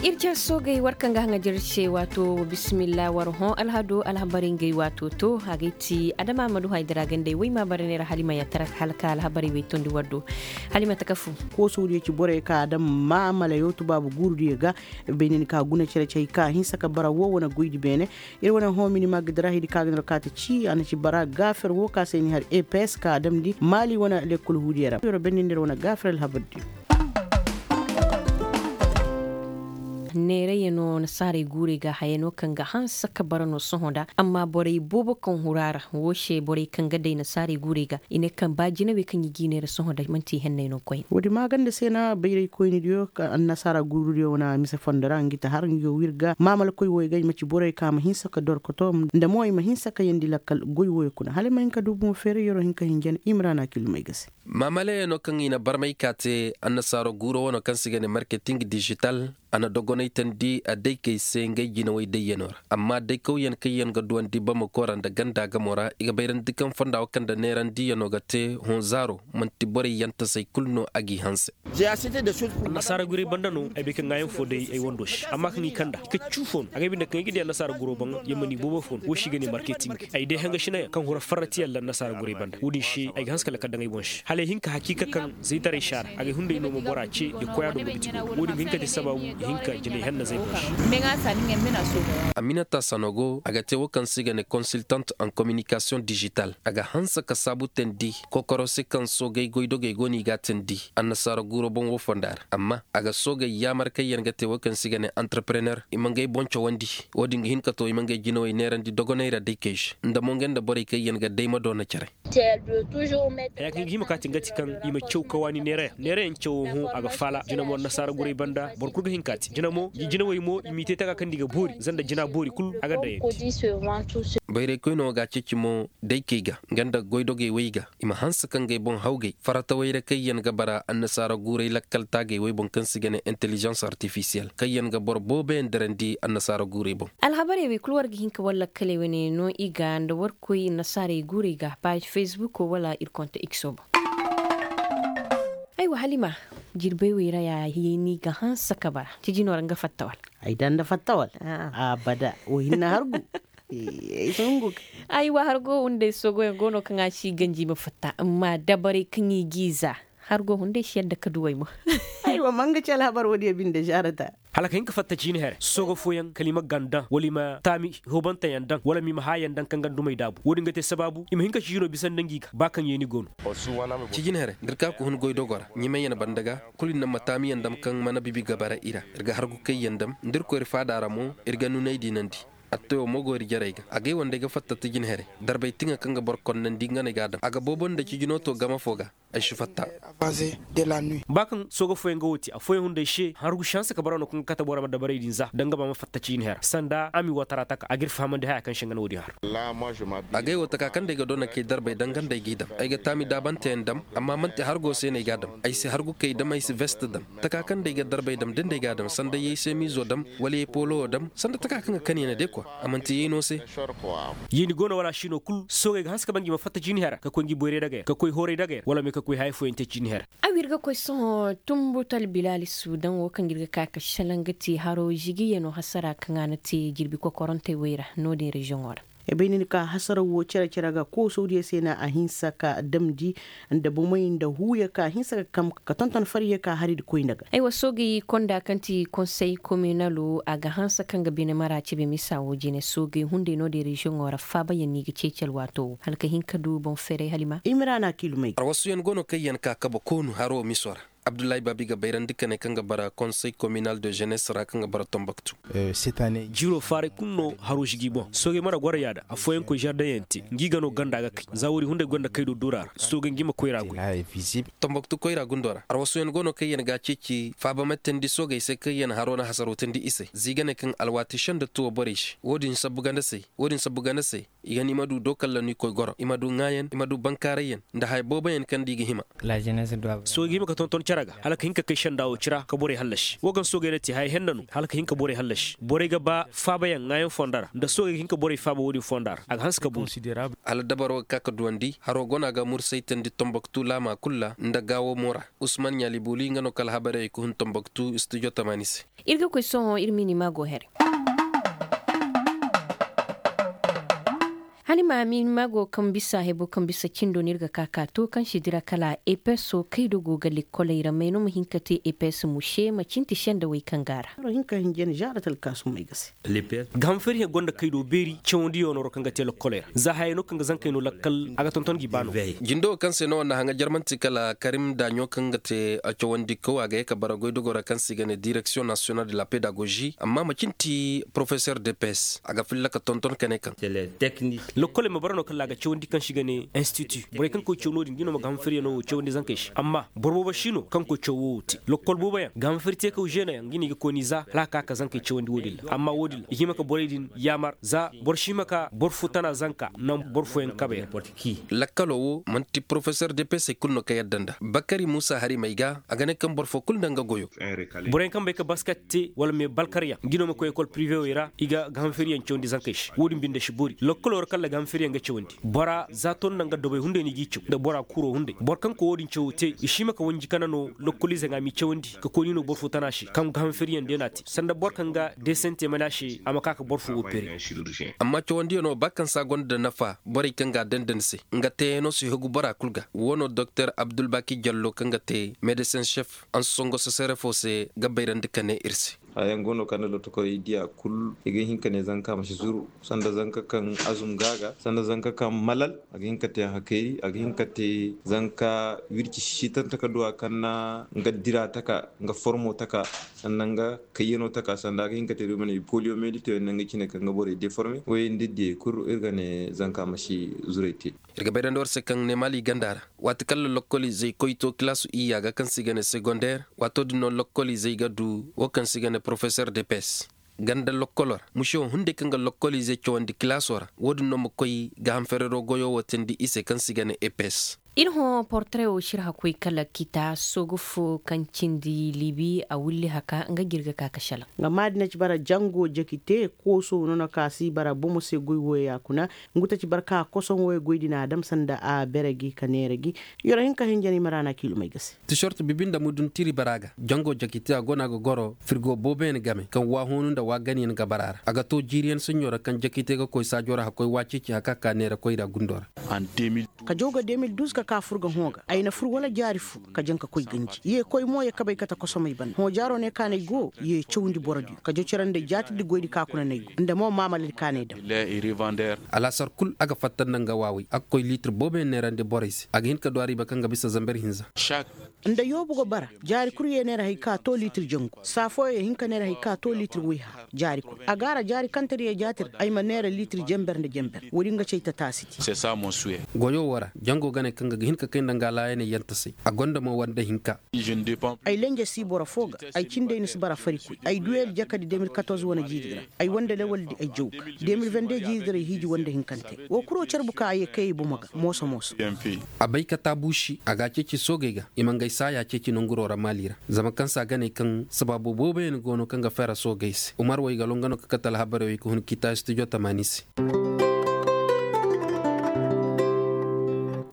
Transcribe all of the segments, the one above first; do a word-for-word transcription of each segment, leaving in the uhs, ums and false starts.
Iri care soogey war kaŋ ga haŋajer se waato. Bisimilla war hõ alhado alhabarey ngey waato to a ga ay ti adama ma du haydara gandey way ma bare neera halima yattara hala ka alhabarey way tondi war do. Halima taka fu. Kooso diyo ci borey ka a daŋ maamala yootu baabu guuru diyo ga. Bay nin ka guna care cay ka hinsa ka bara wo wane goydi beene. Iri wane hõ mini ma ga dira hidi ka ga nor ka ta ci a na ci bara gaafer wo ka se ni har eps ka a damndi maali wane lekkol huudiyo ra yoro bennindi iri wane gaafer alhabar diyo. Neerayyaŋo nasaarey guurey ga hayano kaŋ ga hanse ka bara no sohõ nda amma borey boobo kaŋ huru a ra. Wo se borey kaŋ ga day nasaarey guurey ga i ne kaŋ ba jinawey kaŋ i g'i neera sohõ nda manti i henney no koyne. Wo- din maaganda se no bayraykoyne diyo annasaara guuru diyo wane mise fondo ra nga i ta har nga yo w'iri ga maamalakoy wo i ga i ma ci borey kaŋ a ma hinse ka dorkoto nda mo i ma hinse ka yandi lakkal goy woyo kuna hala i ma hin ka du boŋ feeray yoro hin ka hinjan i ma ra no a kilumay ga se. Maamalayaŋo kaŋ i na barmay ka te annasaaro guuro wano kaŋ se i ga ne marketing digital. A na dogonay tandi a daykey se ngey jinawey dayyaŋo ra amma daykawyaŋ kaŋ yaŋ ga duwandi bamako ra nda ganda gamo ra i ga bayrandi kaŋ fonda wo kaŋ nda neerandiyaŋo ga te hõ zaaro manti borey yaŋ tasey kulu no a g'i hanse. Annasaara guray banda no ay bay kaŋ ŋwaayaŋ fo day ay wando se amma kaŋ i kand'a i ka cu fo no a ga ay binde kaŋ ay ga di annasaara guro baŋ yaŋ mana i boobo fo no wo se i ga ne marketing. Ay day hanga sinayaŋ kaŋ hura farratiyaŋ ra annasaara guray banda wo- din se ay ga hanse kala ka daŋ ay boŋ se hala ay hin ka hakiika kaŋ zaytaray se a ra a ga ay hunday no ma bora ce da koy a do nga biti go wo- din ga hin ka te sabaabu i hin ka jinay hannazey boŋ se. Aminata sanogo a ga te wo kaŋ se i ga ne consultant en communication digital a ga hanse ka saabu teendi kokoro se kaŋ soogay goydogey go no i ga a teendi annasaara guuro boŋ wo fonda ra amma a ga soogay yaamar kaŋ yaŋ ga te wo kaŋ se i ga ne entrepreneur i ma ngey boŋ cawandi. Wo- din ga hin ka to i ma ngey jinawey neerandi dogonay ra day kay se nda mo ngey nda borey kaŋ yaŋ ga day ma doona care. Haya kaŋ i ga hima ka te nga ti kaŋ i ma caw ka waani neerayaŋ neerayaŋ cawo hõ a ga faala jina mo annasaara guray banda boro kulu ga hin ka te jina mo jinawey mo i m'i te taka kaŋ nda i ga boori zanda jina boori kulu a ga daŋ yaŋ te. Bayraykoyne wo ga a ceeci mo daykey ga nga nda goydogey way ga i ma hanse ka ngey boŋ hawgay farata wayra kaŋ yaŋ ga bara annasaara guuray lakkal taagey way boŋ kaŋ se i ga ne intelligence artificielle kaŋ yaŋ ga boro boobo yaŋ dirandi annasaara guuray boŋ. Alhabarey wey kulu war ga hin ka war lakkaley wane no i ga nda war koy annasaarey guurey ga paazi facebook wala iri konte x o boŋ. Aywa halima, jirbey wey ra ya ni ga hanse ka bara ciji no ra nga fatta wala? Ay daŋ nda fatta wala? Abada wo hinne hargu. Ay si hungu. Aywa hargo wundey soogoyaŋ go no kaŋ a si ganji ma fatta amma dabarey kaŋ i g'i za. Hargo hunday si yadda ka duw'ey mo. Aywa ma nga ci alhabar wo- din ya binde zaarata. Hala ka hin ka fatta ciini here soogo fooyaŋ kala i ma ganda wala i ma taami hoobanteyaŋ daŋ wala ma i ma haayaŋ daŋ kaŋ ga dumey daabu wo- din ga te sabaabu i ma hin ka ciino bisa nda ngi ga ba kaŋ yeeni go no. Cijin here da iri ka ga hun goy dogo ra ɲimeyaŋ banda ga kulu iri na ma taamiyaŋ dam kaŋ mana bibi ga bara i ra iri ga hargu kayyaŋ dam da iri koy iri faada ra mo iri ga nunay diinandi. Attewo mo go iri jarey ga agay wandey ga fatta cijin here. Darbay tiŋa kaŋ ga boro konnandi nga no ay ga a dam a ga boobo nda cijino to game fo ga. Ay si fatta. Ba kaŋ sooga fooyaŋ ga wo te afooyaŋ hunday se hargu si hanse ka bara no kaŋ ga kate bora ma dabarey din za da nga ba ma fatta ciini hera sanda a ma i watara taka a ga iri fahamandi haya kaŋ se nga no wo- din har. Agay wo taka kaŋ day ga doona kay darbay danga nda ay g'i dam ay ga taami daabanteyaŋ dam amma manti hargo se no ay g'a dam. Ay si hargu kay dam ay si vest dam taka kaŋ day ga darbay dam da nda ay g'a dam sanda yay semizo dam wala yay polo wo dam sanda taka kaŋ ga kani yaŋ day kwa. A manti yay no se. Yeeni go no wala a si no kulu soogey ga hanse ka ban ga i ma fatta ciini hera ka koy ngi boyray dagay ra ka koy hooray dagay ra wala me ka koy haya fooyaŋ te ciini hera. Aw iri ga koy sohõ tumbutal bilaali suudaŋ wo kaŋ iri ga ka ka selaŋ ga te haro zigiyaŋo hasara kaŋ a na te jirbi kokorantey wey ra no- din reziyoŋo ra. Ay bay ni na ka hasaraw wo care care ga koosawdiyo se no a hinsa ka damndi nda bomey nda huuyo ka hinsa ka kam ka tonton fariyo ka hari nda koy nda ga. Ay wa soogay konda kaŋ ti konsey kominalo a ga hanse kaŋ ga bine mara cebe misa wo jine soogay hunday no- din reziyoŋo ra faabayaŋ no i ga ceeci alwaato wo hala ka hin ka du boŋ feeray halima. Imira no a kiilumay ga. Arwasuyaŋ go no kaŋ yaŋ ka kabe koonu haro miso ra. Abdullahi baabi ga bayrandi ka ne kaŋ ga bara konsey kominal de ženes ra kaŋ ga bara tombaktu. Jiro faaray kulu no haro si g'i boŋ soogey mana goro yaada afooyaŋ koy zardaŋ yaŋ te ngi ga no ganda ga kay za woodi hunday gonda kaydo dura ra soogey ngi ma koyra goy. Tombaktu koyra gundo ra arwasoyaŋ go no kaŋ yaŋ ga a ceeci faaba ma teendi soogey se kaŋ yaŋ haro na hasaro teendi i se za i ga ne kaŋ alwaati senda tuwo borey se woodin sabbu ganda se. I ga ni ma du dookalla no i koy goro i ma du ŋaayaŋ i ma du bankaarayyaŋ nda haya booboyaŋ kaŋ da i ga hima. Soogey ga hima ka tonton. Hala ka hin ka kay senda wo cira ka borey hallasi wo kaŋ soogey na te haya henna no hala ka hin ka borey hallasi borey ga ba faabayaŋ ŋaayaŋ fonda ra nda soogey ga hin ka borey faaba wo- din fonda ra a ga hanse ka boori. Hala dabaro ga ka ka duwandi haro go no a ga mursay tandi tomboktu laama kulu ra nda gaawo mo ra. Usman ɲaali booli nga no kala habarey ga hun tomboktu studio tamaani se. Iri ga koy sohõ iri ma i ni maago here. Hala i ma a ma i ni maago kaŋ bisa hebo kaŋ bisa cindo no iri ga ka ka to kaŋ si dira kala epeso kaydo go ga lekkoley ra may no ma hin ka te epes muse ma cinti sendawey kaŋ go a ra. Ga ham fariyaŋ gonda kaydo beeri cawandiyo no ra kaŋ ga te lekkoley ra za hayey no kaŋ ga zankey no lakkal a ga tonton ga i ba no. Jindo wo kaŋ se no wanda haŋa jarmanti kala karim daaɲo kaŋ ga te cawandikaw a ga ye ka bara goydogo ra kaŋ se i ga ne direksiyoŋ nasiyonal de la pedagozi amma macine ti porofesor de pes a ga filla ka tonton ka ne kaŋ. Lokkoley ma bara no kala a ga cawandi kaŋ se i ga ne institu borey kaŋ koy caw no- din ga i no ma ga ham fariyaŋo wo cawandi zankey se amma boro boobo si no kaŋ koy caw wo wo te lokkol boobo yaŋ ga ham fari te kaw zeena yaŋ ga i no i ga koy no i za hala a ga ka ka zankey cawandi wo- din ra amma wo- din ra i hima ka borey din yaamar za boro si hima ka boro fo tana zanka naŋ boro fooyaŋ kabe yaŋ. Lakkalo wo manti porofesor de pes hari kulu no kaŋ yadda nda bakari muusa hari may ga a ga ne kaŋ boro fo kulu nda nga goyo. Boro yaŋ kaŋ bay ka basket te wala me balkar yaŋ ga i no ma koy ekol pirive wey ra i ga ga ham fariyaŋ cawandi zankey se wo- din binde si boori lokkolo ra kala ga ham fariyaŋ ga cawandi bora za to nda nga dobay hunday no i g'i caw nda bora kuro hunday boro kaŋ koy wo- din cawo te i si hima ka wanji kana no lokkoliize ŋwa m'i cawandi ka koy no i no boro fo tana se kaŋ ga ham fariyaŋ day no a te sanda boro kaŋ ga deesaŋ te mana se a ma ka ka boro fo wo pere. Amma cawandiyaŋo ba kaŋ se a gonda nafa borey kaŋ ga a danda ni se nga teeyaŋo si hagu bora kulu ga wo no doktor abdulbaki jallo kaŋ ga te medesin sef ansongo sesere fo se ga bayrandi ka ne iri se. Haya yaŋ go no kaŋ nda lotokorey diya kulu i ga hin ka ne zanka ma si zuru sanda zanka kaŋ azum ga a ga sanda zanka kaŋ malal a ga hin ka te hakayri a ga hin ka te zanka wirci sisitante ka duwa kaŋ na nga dira taka nga formo taka sanda nga kayyano taka sanda a ga hin ka te duwa mana i poliyo medito yaŋ nda nga cine kaŋ ga borey deforme wayey nda diyey kulu iri ga ne zanka ma si zurey te. Iri ga bayrandi war se kaŋ ne maali ganda ra waati kaŋ lokkoliizey koy to kilaasu iyya ga kaŋ se i ga ne segonder waato din no lokkoliizey ga du wo kaŋ se i ga ne porofesor de pes ganda lokkolo ra musewo hunday kaŋ ga lokkoliizey cawandi kilaaso ra wo- din no ma koy ga ham ferero goyo wo teendi i se kaŋ se i ga ne epes. Iri hõ portare wo si iri hakkoy kala kita soogu fo kaŋ cindi libi a wulli haka nga ga iri ga ka ka salaŋ. Nga maadi na ci bara jango jakite kooso no no ka si bara bomo se goy wooyo ya kuna ngu ta ci bara ka kosoŋ wooyo goy din a dam sanda a bere gi ka neera gi. Yoro hinka hinjaney ma ra no a kiilumey ga se. Tisorto bibi nda mudun tiri bara ga jango jakite a go no a ga goro firgo booboyaŋ game kaŋ waahoonu nda waaganayaŋ ga bara a ra a ga to jiiriyaŋ saɲɲo ra kaŋ jakite ga koy saajo ra hakkoy waaceeci haka ka neera koyra gundo ra. Ka jaw ga de mil duuz ka ka fur ga hõ ga ay na fur wala jaari fo ka jaŋ ka koy ganji ye koy mo ye kabay kate kosomey banda hõ jaaro ne kaanay go ye cawndi boro din ka jaw care nda ay jaatirdi goydi ka kuna n'ay go nda mo maamaladi kaanay daŋ. Alaasar kulu a ga fatta nda nga waawey a ga koy liitir booboyaŋ neerandi borey se a ga hin ka du a riiba kaŋ ga bisa zamber hinza. Nda yoobu ga bara jaari kulu ye neera hay ka to liitir jangu saa fooyaŋ ye hin ka neera hay ka to liitir wayha jaari kulu a gaara jaari kantariya jaatir ay ma neera liitir jember nda jember wo-din ga cay tataasi te. Goyo wo ra jango gane kaŋ ga ga hin ka kay nda nga laayaney yantasay a gonda mo wanda hinka. Ay lenje si boro fo ga ay cindey ni si bara farikoy ay duwel jakadi de mil katorze wane jiiri ra ay wanda lawaldi ay jaw ga de mil vende jiiri ra ay hiiji wanda hinkante wo kuro care buka a ye kay ay bomo ga mooso mooso. A bay ka taabuusi a ga a ceeci soogey ga i ma ngey saaya ceeci nanguro ra maali ra zama kaŋ se a ga ne kaŋ sabaabo booboyaŋ go no kaŋ ga feera soogey se umar waygalo nga no ka kate alhabarey wey ka hun kiita studio tamaani se.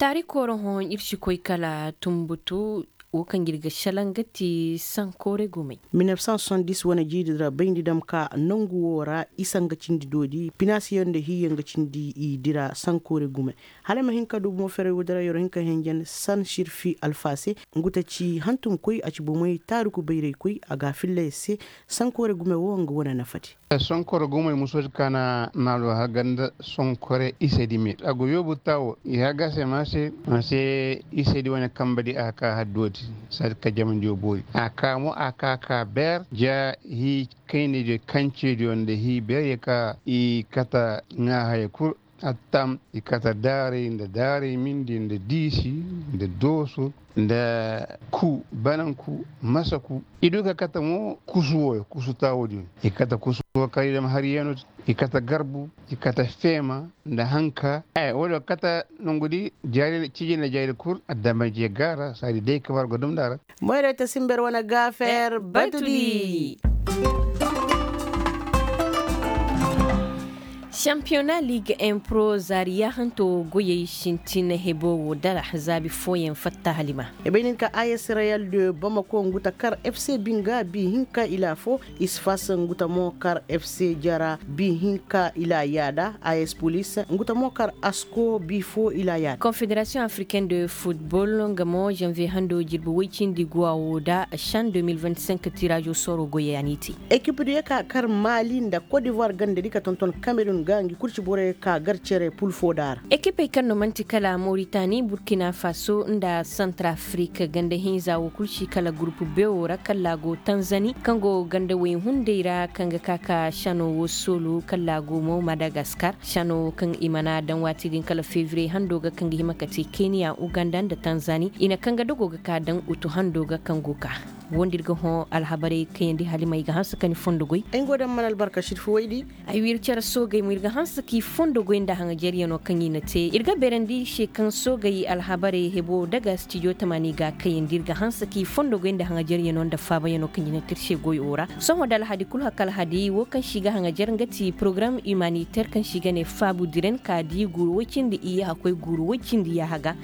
Taari kooro hõ iri si koy kala tumbutu wo kaŋ ga iri ga salaŋ ga ti sankoore gumey. Mil nef san soixante dix wane jiiri dira bayndi dam ka nangu wo ra isa nga cindi doodi pinaasiyaŋ nda hiiyaŋ ga cindi i dira sankoore gumey. Hala ay ma hin ka du bomo ferey wo dira yoro hin ka henjen san sirfi alfa se ngu ta ci hantum koy a ci bomey taaruku bayray koy a ga a filla yer se. Sankoore gume wo nga wane nafa te. Sonkoro gumey musoodi kaana naalo haganda sonkore isedi me a go yoobu tawo i haga se ma se. Ma se isedi wane kambedi a ka hadduwodi sadi ka jamandiyo boori a ka mo a ka ka beer ja hi kaynediyo kancediyo nda hi beer ye ka i kata ŋa haya kul. Attam, i kate daaray nda daaray mindi nda diisi nda dooso nda ku bananku masaku. I du ka kate mo kusu woyo kusu taawo din. I kate kusu wo kaŋ i dam hari yeeno. I kate garbu, i kate feema nda hanka. Wala kate nangu di jaari cijin nda jaari kul adama je gaara saadi day kabar ga dum daara. Moyray ta simber wane gaafeer batudi. Championnat ligue un pro zaari yaahanto goyey sintin hebo wo dara zaabi fooyaŋ fatta halima. Ay bay nin ka a s real de bamako ngu ta kar f c binga bi hinka ila fo. Isfas ngu ta mo kar f c jara bi hinka ila yaada. A s police ngu ta mo kar asko bi fo ila yaada. Confédération africaine de football nga mo janvier hando jirbi woy cindi guwa wo da shan deux mille vingt-cinq tirazo soro goyey a n'i te. Ekip diyo ka kar mali nda côte d'ivoire ganda di ka tonton cameroun ga ngi kurci borey ka gar cere pul fo da ra. Ekipey kaŋ no manti kala mauritanie burkina faso nda centrafrique ganda hinza wo kulu si kala groupe b wo ra kala go tanzanie kaŋ go ganda way hunday ra kaŋ ga ka ka shano wo solo kala go mo madagascar shano kaŋ i mana daŋ waati din kala février hando ga kaŋ ga hima ka te kenya uganda nda tanzanie i na kaŋ ga dogo ga ka daŋ utu hando ga kaŋ go ka. Wo nda iri ga hõ alhabarey kayandi halimey ga hanse ka ni fondo goy. Ay go daŋ mana albarka sirfi waydi. Ay w'iri care soogey mo iri ga hanse k'i fondo goy nda haŋajeryano kaŋ i na te iri ga beerandi se kaŋ soogey alhabarey hebo daga stijo tamani ga kayandi iri ga hanse k'i fondo goy nda haŋajeryano nda faabayaŋo kaŋ i na te iri se goy wo ra. Sohõ da alhadi kulu haka alhadi wo kaŋ si ga haŋajer nga ti porogaram humaniter kaŋ si ga ne faabu diren ka di guuru woy cindi iyye hakkoy guuru woy cindi yaaha ga.